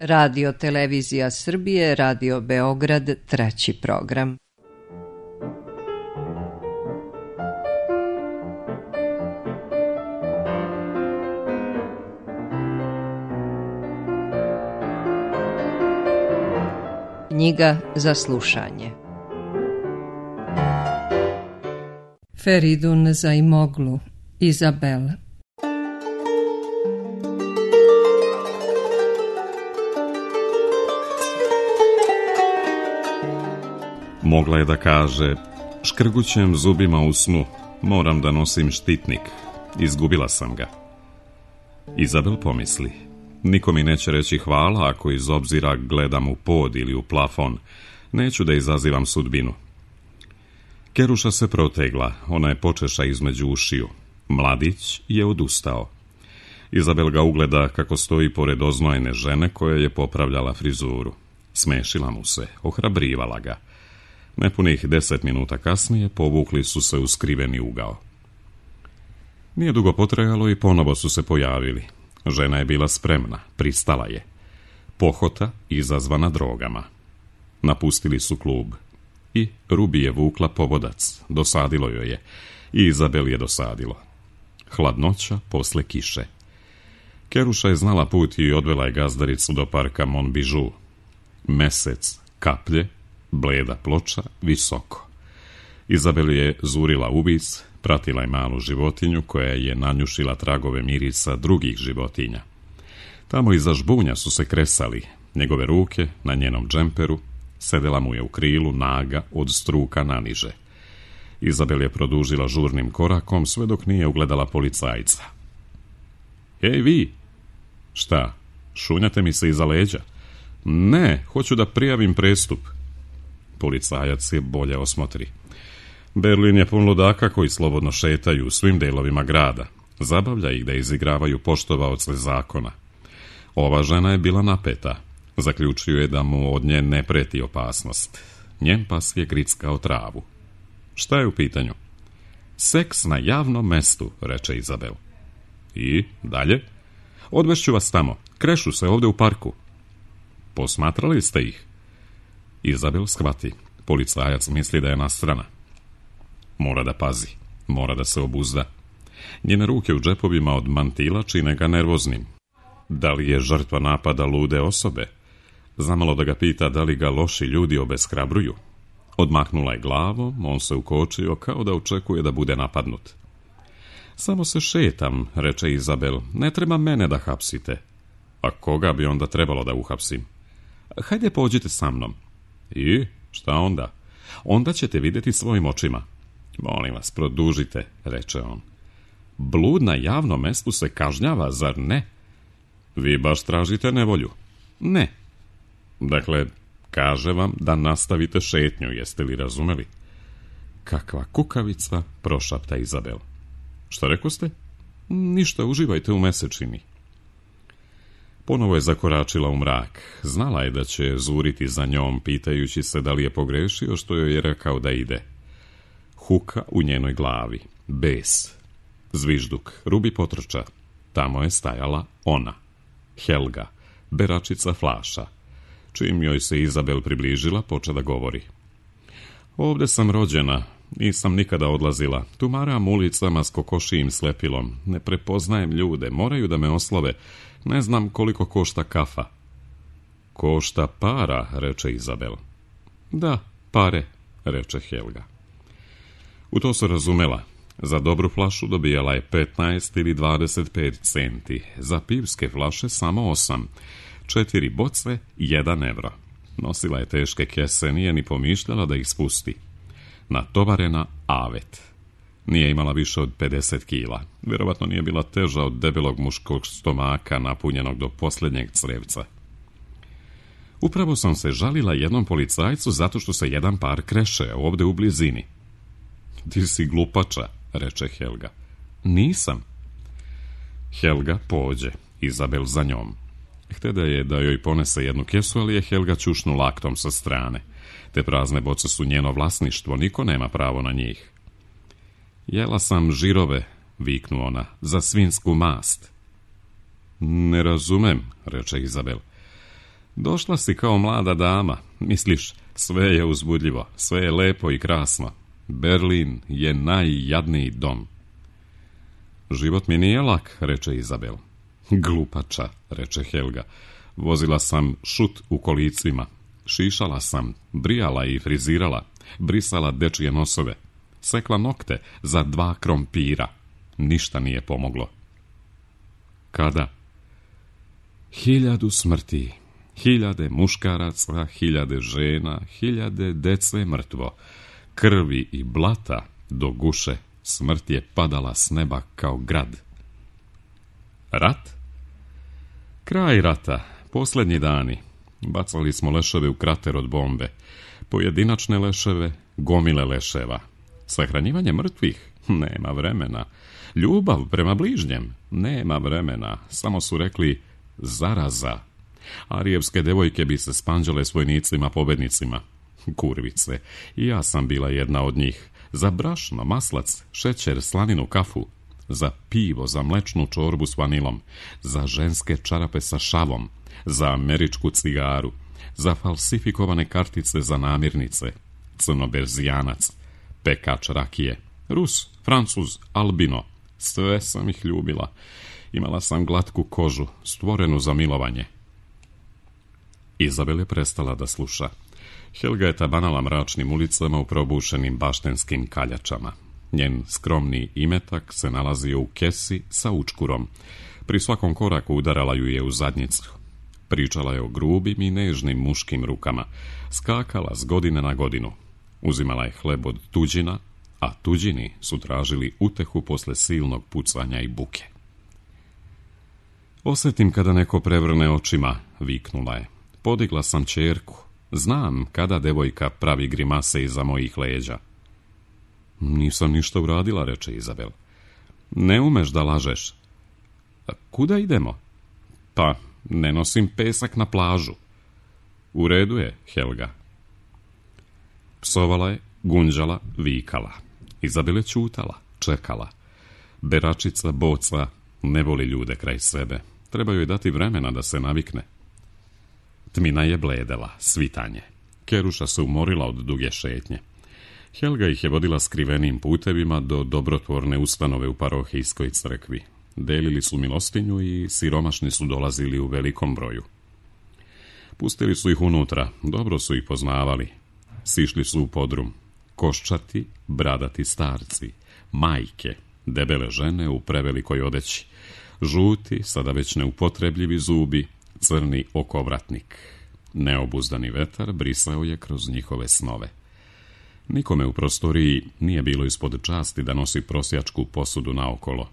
Radio Televizija Srbije, Radio Beograd, 3. program. Knjiga za slušanje. Feridun Zaimoglu, Izabel. Mogla je da kaže, škrgućem zubima u snu, moram da nosim štitnik, izgubila sam ga. Izabel pomisli, niko mi neće reći hvala ako iz obzira gledam u pod ili u plafon, neću da izazivam sudbinu. Keruša se protegla, ona je počeša između ušiju. Mladić je odustao. Izabel ga ugleda kako stoji pored oznojene žene koja je popravljala frizuru. Smešila mu se, ohrabrivala ga. Nepunih 10 minuta kasnije povukli su se u skriveni ugao. Nije dugo potrajalo i ponovo su se pojavili. Žena je bila spremna, pristala je. Pohota izazvana drogama. Napustili su klub. I Rubi je vukla povodac, dosadilo joj je. I Izabel je dosadilo. Hladnoća posle kiše. Keruša je znala put i odvela je gazdaricu do parka Monbižu. Mesec, kaplje, bleda ploča, visoko. Izabel je zurila uvic, pratila je malu životinju koja je nanjušila tragove mirisa drugih životinja. Tamo iza žbunja su se kresali, njegove ruke na njenom džemperu, sedela mu je u krilu naga od struka naniže. Izabel je produžila žurnim korakom sve dok nije ugledala policajca. Ej vi! Šta, šunjate mi se iza leđa? Ne, hoću da prijavim prestup. Policajac je bolje osmotri. Berlin je pun ludaka koji slobodno šetaju u svim delovima grada. Zabavlja ih da izigravaju poštovaoce zakona. Ova žena je bila napeta. Zaključio je da mu od nje ne preti opasnost. Njen pas je grickao travu. Šta je u pitanju? Seks na javnom mestu, reče Izabel. I dalje? Odvešću vas tamo. Krešu se ovde u parku. Posmatrali ste ih? Izabel shvati. Policajac misli da je nastrana. Mora da pazi. Mora da se obuzda. Njene ruke u džepovima od mantila čine ga nervoznim. Da li je žrtva napada lude osobe? Zamalo da ga pita da li ga loši ljudi obeshrabruju. Odmahnula je glavom, on se ukočio kao da očekuje da bude napadnut. Samo se šetam, reče Izabel, ne treba mene da hapsite. A koga bi onda trebalo da uhapsim? Hajde pođite sa mnom. I šta onda? Onda ćete vidjeti svojim očima. Molim vas, produžite, reče on. Blud na javnom mestu se kažnjava, zar ne? Vi baš tražite nevolju? Ne. Dakle, kaže vam da nastavite šetnju, jeste li razumeli? Kakva kukavica, prošapta Izabel. Šta rekoste? Ništa, uživajte u mesečini. Ponovo je zakoračila u mrak. Znala je da će zuriti za njom, pitajući se da li je pogrešio što joj je rekao da ide. Huka u njenoj glavi. Bes. Zvižduk. Rubi potrča. Tamo je stajala ona. Helga. Beračica flaša. Čim joj se Izabel približila, počela da govori. Ovde sam rođena. Nisam nikada odlazila. Tumaram ulicama s kokošijim slepilom. Ne prepoznajem ljude. Moraju da me oslove. Ne znam koliko košta kafa. Košta para, reče Izabel. Da, pare, reče Helga. U to se razumela. Za dobru flašu dobijala je 15 ili 25 centi. Za pivske flaše samo 8. 4 boce, 1 evro. Nosila je teške kese, nije ni pomišljala da ih spusti. Natovarena avet. Nije imala više od 50 kila. Vjerovatno nije bila teža od debelog muškog stomaka napunjenog do posljednjeg crevca. Upravo sam se žalila jednom policajcu zato što se jedan par kreše ovde u blizini. Ti si glupača, reče Helga. Nisam. Helga pođe, Izabel za njom. Hteda je da joj ponese jednu kesu, ali je Helga ćušnu laktom sa strane. Te prazne boce su njeno vlasništvo, niko nema pravo na njih. Jela sam žirove, viknu ona, za svinsku mast. Ne razumem, reče Izabel. Došla si kao mlada dama, misliš, sve je uzbudljivo, sve je lepo i krasno. Berlin je najjadniji dom. Život mi nije lak, reče Izabel. Glupača, reče Helga. Vozila sam šut u kolicima. Šišala sam, brijala i frizirala, brisala dečije nosove, sekla nokte za 2 krompira. Ništa nije pomoglo. Kada? 1000 smrti, 1000 muškaraca, 1000 žena, 1000 dece mrtvo, krvi i blata do guše, smrt je padala s neba kao grad. Rat? Kraj rata, posljednji dani. Bacali smo leševe u krater od bombe. Pojedinačne leševe, gomile leševa. Sahranjivanje mrtvih? Nema vremena. Ljubav prema bližnjem? Nema vremena. Samo su rekli zaraza. Arijevske devojke bi se spanđale s vojnicima pobednicima. Kurvice. I ja sam bila jedna od njih. Za brašno, maslac, šećer, slaninu, kafu. Za pivo, za mlečnu čorbu s vanilom. Za ženske čarape sa šavom. Za američku cigaru. Za falsifikovane kartice za namirnice. Crnoberzijanac. Pekač rakije. Rus, Francuz, albino. Sve sam ih ljubila. Imala sam glatku kožu, stvorenu za milovanje. Izabel je prestala da sluša. Helga je tabanala mračnim ulicama u probušenim baštenskim kaljačama. Njen skromni imetak se nalazio u kesi sa učkurom. Pri svakom koraku udarala ju je u zadnjicu. Pričala je o grubim i nežnim muškim rukama. Skakala s godine na godinu. Uzimala je hleb od tuđina, a tuđini su tražili utehu posle silnog pucanja i buke. Osjetim kada neko prevrne očima, viknula je. Podigla sam ćerku. Znam kada devojka pravi grimase iza mojih leđa. Nisam ništa uradila, reče Izabel. Ne umeš da lažeš. Kuda idemo? Pa, ne nosim pesak na plažu. U redu je, Helga. Psovala je, gunđala, vikala. Izabel je ćutala, čekala. Beračica, boca, ne voli ljude kraj sebe. Treba joj dati vremena da se navikne. Tmina je bledela, svitanje. Keruša se umorila od duge šetnje. Helga ih je vodila skrivenim putevima do dobrotvorne ustanove u parohijskoj crkvi. Delili su milostinju i siromašni su dolazili u velikom broju. Pustili su ih unutra, dobro su ih poznavali. Sišli su u podrum. Koščati, bradati starci, majke, debele žene u prevelikoj odeći, žuti, sada već neupotrebljivi zubi, crni okovratnik. Neobuzdani vetar brisao je kroz njihove snove. Nikome u prostoriji nije bilo ispod časti da nosi prosjačku posudu naokolo.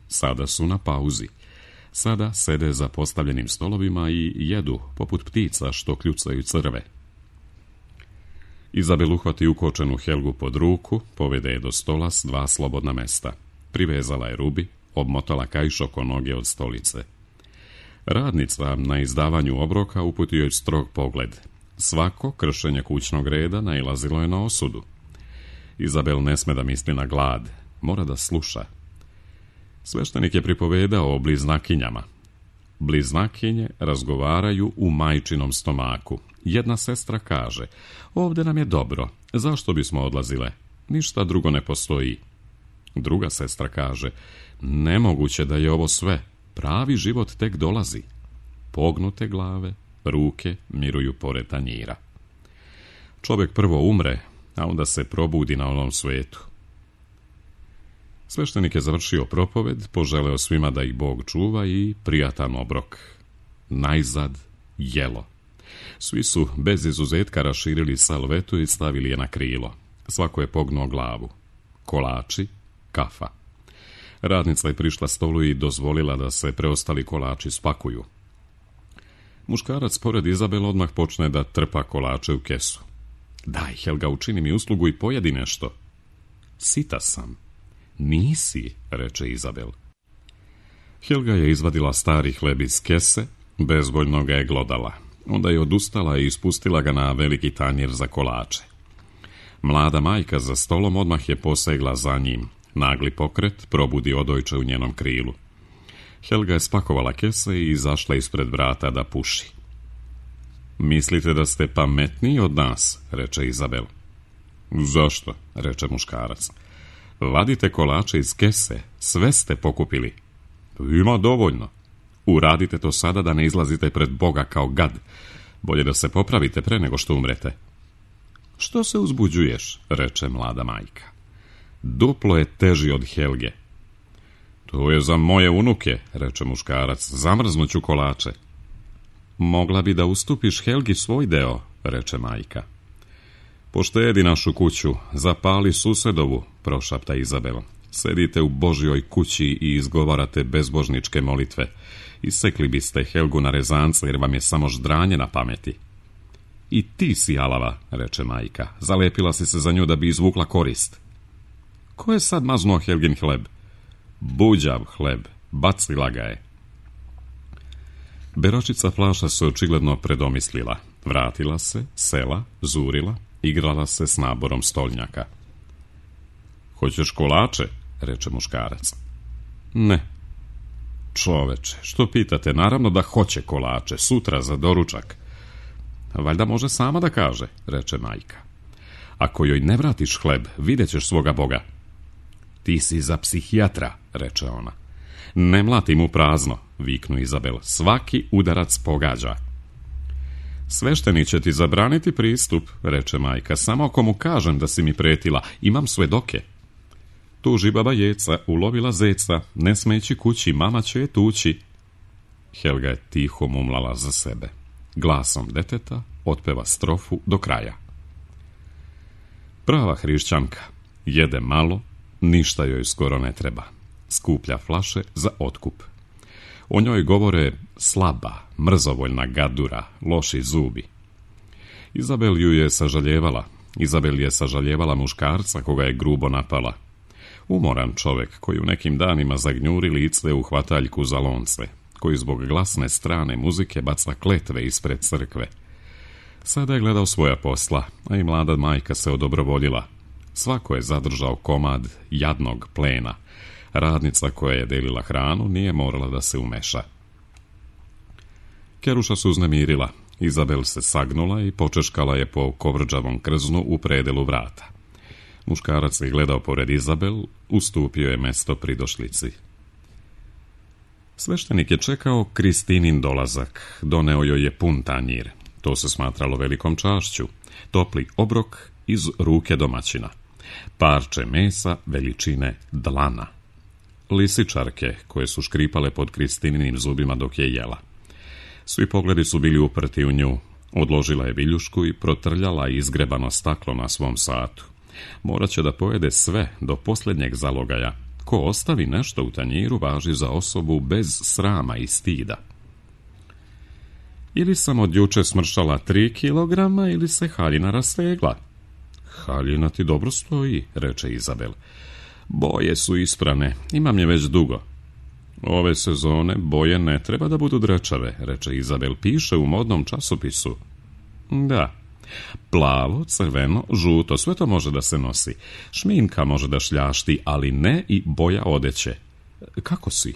Sada su na pauzi. Sada sede za postavljenim stolovima i jedu, poput ptica što kljucaju crve. Izabel uhvati ukočenu Helgu pod ruku, povede je do stola s 2 slobodna mesta. Privezala je rubi, obmotala kaiš oko noge od stolice. Radnica na izdavanju obroka uputio je strog pogled. Svako kršenje kućnog reda nailazilo je na osudu. Izabel ne sme da misli na glad, mora da sluša. Sveštenik je pripovedao o bliznakinjama. Bliznakinje razgovaraju u majčinom stomaku. Jedna sestra kaže, ovdje nam je dobro, zašto bismo odlazile? Ništa drugo ne postoji. Druga sestra kaže, nemoguće da je ovo sve, pravi život tek dolazi. Pognute glave, ruke miruju pored tanjira. Čovjek prvo umre, a onda se probudi na onom svetu. Sveštenik je završio propoved, poželeo svima da ih Bog čuva i prijatan obrok. Najzad jelo. Svi su bez izuzetka raširili salvetu i stavili je na krilo. Svako je pognuo glavu. Kolači, kafa. Radnica je prišla stolu i dozvolila da se preostali kolači spakuju. Muškarac pored Izabel odmah počne da trpa kolače u kesu. Daj, Helga, učini mi uslugu i pojedi nešto. Sita sam. Nisi, reče Izabel. Helga je izvadila stari hleb iz kese, bezvoljno ga je glodala. Onda je odustala i ispustila ga na veliki tanjir za kolače. Mlada majka za stolom odmah je posegla za njim. Nagli pokret probudi odojče u njenom krilu. Helga je spakovala kese i izašla ispred vrata da puši. Mislite da ste pametniji od nas, reče Izabel. Zašto, reče muškarac. Vadite kolače iz kese, sve ste pokupili. Ima dovoljno. Uradite to sada da ne izlazite pred Boga kao gad. Bolje da se popravite pre nego što umrete. Što se uzbuđuješ, reče mlada majka. Duplo je teži od Helge. To je za moje unuke, reče muškarac, zamrznuću kolače. Mogla bi da ustupiš Helgi svoj deo, reče majka. Poštedi našu kuću, zapali susedovu, prošapta Izabel. Sedite u Božjoj kući i izgovarate bezbožničke molitve. Isekli biste Helgu na rezance jer vam je samo ždranje na pameti. I ti si alava, reče majka. Zalepila si se za nju da bi izvukla korist. Ko je sad maznuo Helgin hleb? Buđav hleb, bacila ga je. Beročica Flaša se očigledno predomislila. Vratila se, sela, zurila, igrala se s naborom stolnjaka. Hoćeš kolače, reče muškarac. Ne. Čoveče, što pitate? Naravno da hoće kolače, sutra za doručak. Valjda može sama da kaže, reče majka. Ako joj ne vratiš hleb, vidjet ćeš svoga Boga. Ti si za psihijatra, reče ona. Ne mlatim u prazno, viknu Izabel. Svaki udarac pogađa. Svešteni će ti zabraniti pristup, reče majka. Samo ako mu kažem da si mi pretila, imam svedoke. Tuži baba Jeca, ulovila zeca, ne sme ići kući, mama će je tući. Helga je tiho mumlala za sebe. Glasom deteta otpeva strofu do kraja. Prava hrišćanka, jede malo, ništa joj skoro ne treba. Skuplja flaše za otkup. O njoj govore slaba, mrzovoljna gadura, loši zubi. Izabel ju je sažaljevala. Izabel je sažaljevala muškarca koga je grubo napala. Umoran čovek koji u nekim danima zagnjuri lice u hvataljku za lonce, koji zbog glasne strane muzike baca kletve ispred crkve. Sada je gledao svoja posla, a i mlada majka se odobrovoljila. Svako je zadržao komad jadnog plena. Radnica koja je delila hranu nije morala da se umeša. Keruša se uznemirila. Izabel se sagnula i počeškala je po kovrđavom krznu u predelu vrata. Muškarac je gledao pored Izabel, ustupio je mesto pridošlici. Sveštenik je čekao Kristinin dolazak, doneo joj je pun tanjir. To se smatralo velikom čašću. Topli obrok iz ruke domaćina. Parče mesa veličine dlana. Lisičarke koje su škripale pod Kristininim zubima dok je jela. Svi pogledi su bili uprti u nju. Odložila je viljušku i protrljala izgrebano staklo na svom satu. Morat će da pojede sve do posljednjeg zalogaja. Ko ostavi nešto u tanjiru važi za osobu bez srama i stida. Ili sam od juče smršala 3 kilograma ili se haljina rastegla. Haljina ti dobro stoji, reče Izabel. Boje su isprane, imam je već dugo. Ove sezone boje ne treba da budu drečave, reče Izabel. Piše u modnom časopisu. Da. Plavo, crveno, žuto, sve to može da se nosi. Šminka može da šljašti, ali ne i boja odeće. Kako si?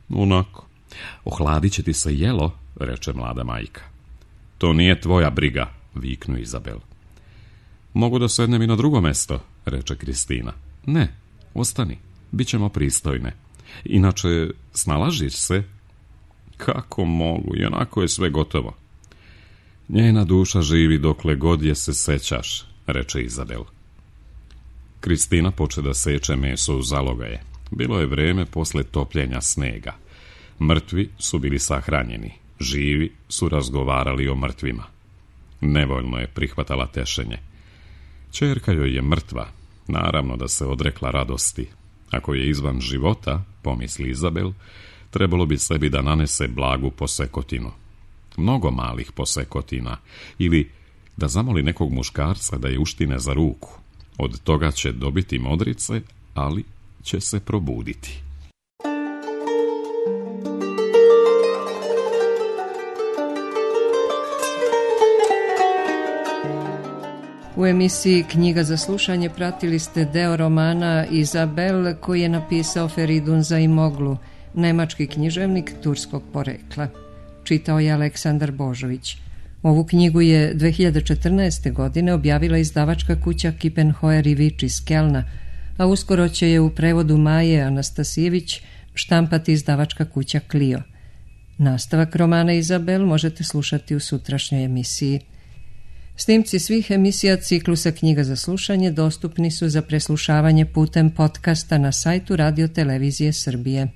Onako. Ohladit će ti se jelo, reče mlada majka. To nije tvoja briga, viknu Izabel. Mogu da sednem i na drugo mesto, reče Kristina. Ne, ostani, bit ćemo pristojne. Inače, snalažiš se? Kako mogu, i onako je sve gotovo. Njena duša živi dokle god je se sećaš, reče Izabel. Kristina poče da seče meso u zalogaje. Bilo je vreme posle topljenja snega. Mrtvi su bili sahranjeni, živi su razgovarali o mrtvima. Nevoljno je prihvatala tešenje. Ćerka joj je mrtva, naravno da se odrekla radosti. Ako je izvan života, pomisli Izabel, trebalo bi sebi da nanese blagu posekotinu. Mnogo malih posekotina, ili da zamoli nekog muškarca da je uštine za ruku. Od toga će dobiti modrice, ali će se probuditi. U emisiji Knjiga za slušanje pratili ste deo romana Izabel koji je napisao Feridun Zaimoglu, nemački književnik turskog porekla. Čitao je Aleksandar Božović. Ovu knjigu je 2014. godine objavila izdavačka kuća Kiepenheuer i Vič iz Kelna, a uskoro će je u prevodu Maje Anastasijević štampati izdavačka kuća Clio. Nastavak romana Izabel možete slušati u sutrašnjoj emisiji. Snimci svih emisija ciklusa Knjiga za slušanje dostupni su za preslušavanje putem podcasta na sajtu Radio Televizije Srbije.